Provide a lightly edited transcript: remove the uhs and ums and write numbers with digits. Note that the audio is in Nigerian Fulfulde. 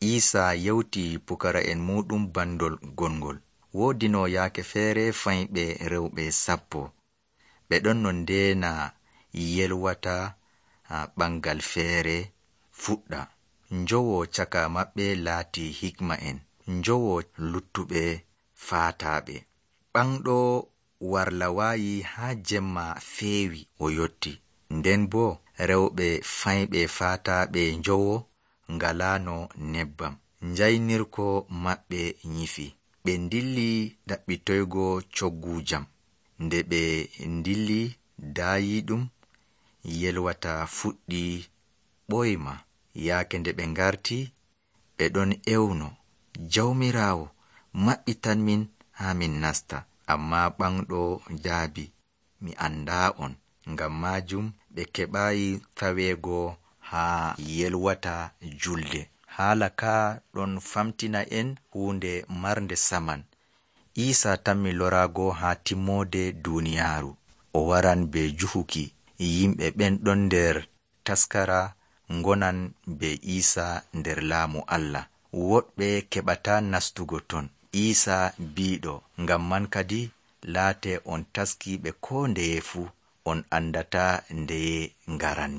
Iisaa yewti pukara'en muɗum bandol gongol. Woodi no yaake feere fayɓe rewɓe 10. Ɓe ɗon no ndeena yelwata ɓangal feere fuɗɗa. Njowo caka maɓɓe laati hikma'en, njowo luttuɓe faataaɓe. Ɓanɗo warlawaayi haa jemma feewi o yotti. Nden boo rewɓe fayɓe faataaɓe njowo ngalaano nebbam. Njaynirko maɓɓe nyifi. Ɓe ndilli ɗaɓɓitoygo coggu jam. Nde ɓe ndilli daayiiɗum yelwata fuɗɗi ɓoyma. Yaake nde ɓe ngarti ɓe ɗon ewno, Jawmiraawo maɓɓitan min haa min nasta. Ammaa ɓanɗo jaabi, mi andaa on. Ngam maajum ɓe keɓaayi taweego haa yelwata julde. Haala ka ɗon famtina en huunde marnde saman. Iisaa tammi loraago haa timmoode duuniyaaru. O waran be juhuki. Yimɓe ɓen ɗon nder taskara ngonan be Iisaa nder laamu Allah. Woɗɓe keɓataa nastugo ton. Iisaa biiɗo, ngam man kadi laate on taskiiɓe koo ndeye fuu, on andataa ndeye ngaran.